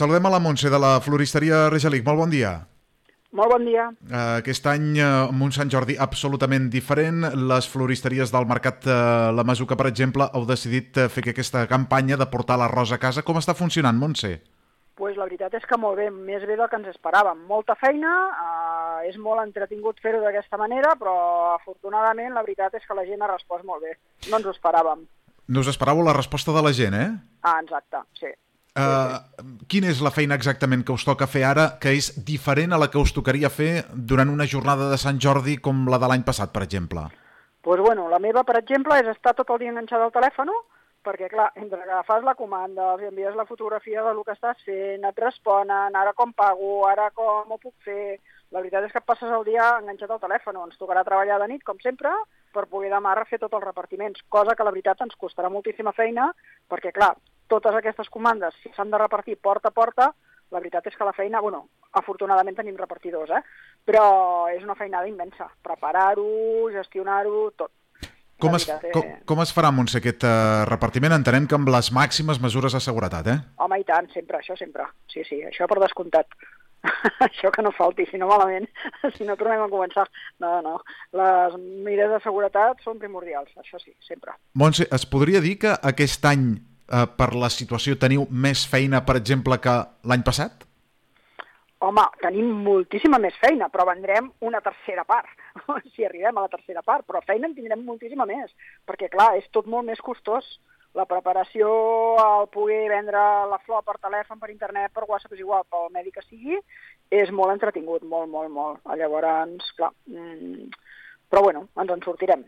Saludem a la Montse de la floristeria Regelic. Molt bon dia. Molt bon dia. Aquest any, amb un Sant Jordi absolutament diferent, les floristeries del Mercat La Masuca, per exemple, heu decidit fer aquesta campanya de portar l'arròs a casa. Com està funcionant, Montse? Pues la veritat és que molt bé, més bé del que ens esperàvem. Molta feina, és molt entretingut fer-ho d'aquesta manera, però afortunadament la veritat és que la gent ha respost molt bé. No ens ho esperàvem. No us esperàveu la resposta de la gent, eh? Exacte, sí. Quina és la feina exactament que us toca fer ara, que és diferent a la que us tocaria fer durant una jornada de Sant Jordi com la de l'any passat, per exemple? Pues bueno, la meva, per exemple, és estar tot el dia enganxada al telèfon, perquè, clar, entre que fas la comanda, els envies la fotografia del que estàs fent, et responen, ara com pago, ara com ho puc fer. La veritat és que et passes el dia enganxat al telèfon. Ens tocarà treballar de nit, com sempre, per poder demà refer tots els repartiments, cosa que la veritat ens costarà moltíssima feina, perquè, clar, totes aquestes comandes, si s'han de repartir porta a porta, la veritat és que la feina, bueno, afortunadament tenim repartidors, però és una feinada immensa. Preparar-ho, gestionar-ho, tot. Com es farà, Montse, aquest repartiment? Entenem que amb les màximes mesures de seguretat, eh? Home, i tant, sempre, això sempre. Sí, això per descomptat. Això que no falti, si no malament, si no tornem a començar. No. Les mesures de seguretat són primordials, això sí, sempre. Montse, es podria dir que aquest any, per la situació, teniu més feina, per exemple, que l'any passat? Home, tenim moltíssima més feina, però vendrem una tercera part, si arribem a la tercera part, però feina en tindrem moltíssima més, perquè, clar, és tot molt més costós. La preparació, el poder vendre la flor per telèfon, per internet, per WhatsApp, és igual, pel medi que sigui, és molt entretingut, molt. Llavors, clar, però bueno, ens en sortirem.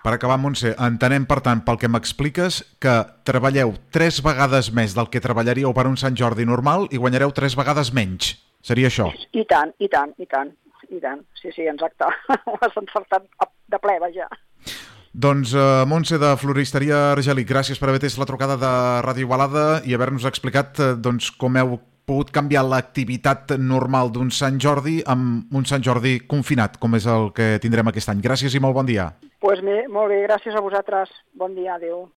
Per acabar, Montse, entenem, per tant, pel que m'expliques, que treballeu 3 vegades més del que treballaríeu per un Sant Jordi normal i guanyareu 3 vegades menys. Seria això? I tant. Sí, exacte. Ho has encertat de ple, vaja. Doncs, Montse, de Floristeria Regelic, gràcies per haver atès la trucada de Ràdio Igualada i haver-nos explicat com heu pogut canviar l'activitat normal d'un Sant Jordi amb un Sant Jordi confinat, com és el que tindrem aquest any. Gràcies i molt bon dia. Doncs molt bé, gràcies a vosaltres. Bon dia, adéu.